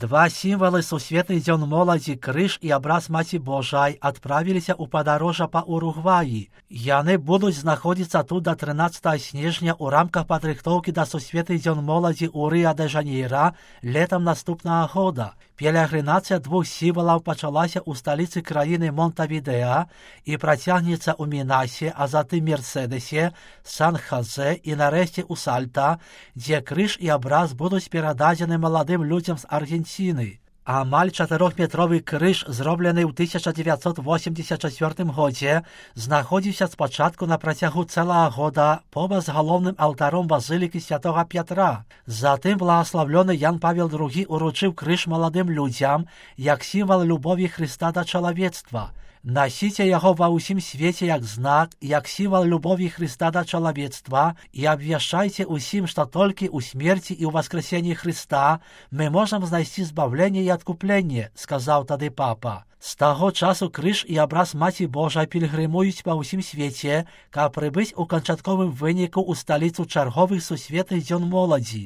Два сімвалы сусветных дзён моладзі крыж і абраз Маці Божай адправіліся ў падарожжа па Уругваі. Яны будуць знаходзіцца тут да 13 снежня ў рамках падрыхтоўкі да сусветных дзён моладзі ў Рыа-дэ-Жанейра летам наступнага года. Пелегрынацыя двух сімвалаў пачалася ў сталіцы краіны Монтавідэа і працягнецца ў Мінасе, а затым Мерседесе, Сан-Хазе і нарэшце ў Сальта, дзе крыж і абраз будуць перададзены маладым людзям з Аргенціны. Амаль 4-метровы крыж, зроблены ў 1984 годзе, знаходзіўся спачатку на працягу цэлага года побач з галоўным алтаром базылікі святога Пятра. Затым благаславлёны Ян Павел II уручыў крыж маладым людзям як сімвал любові Хрыста да чалавецтва. Насіце яго ва ўсім свеце як знак, як сімвал любові Хрыста да чалавецтва і абвяшчайце ўсім, што толькі ў смерці і ў воскресенні Хрыста мы можам знайсці збавленне і адкупленне, сказаў тады папа. З таго часу крыж і абраз Маці Божай пільгрымуюць па ўсім свеце, каб прыбыць у канчатковым выніку ў сталіцу чарговых сусветных дзён моладзі.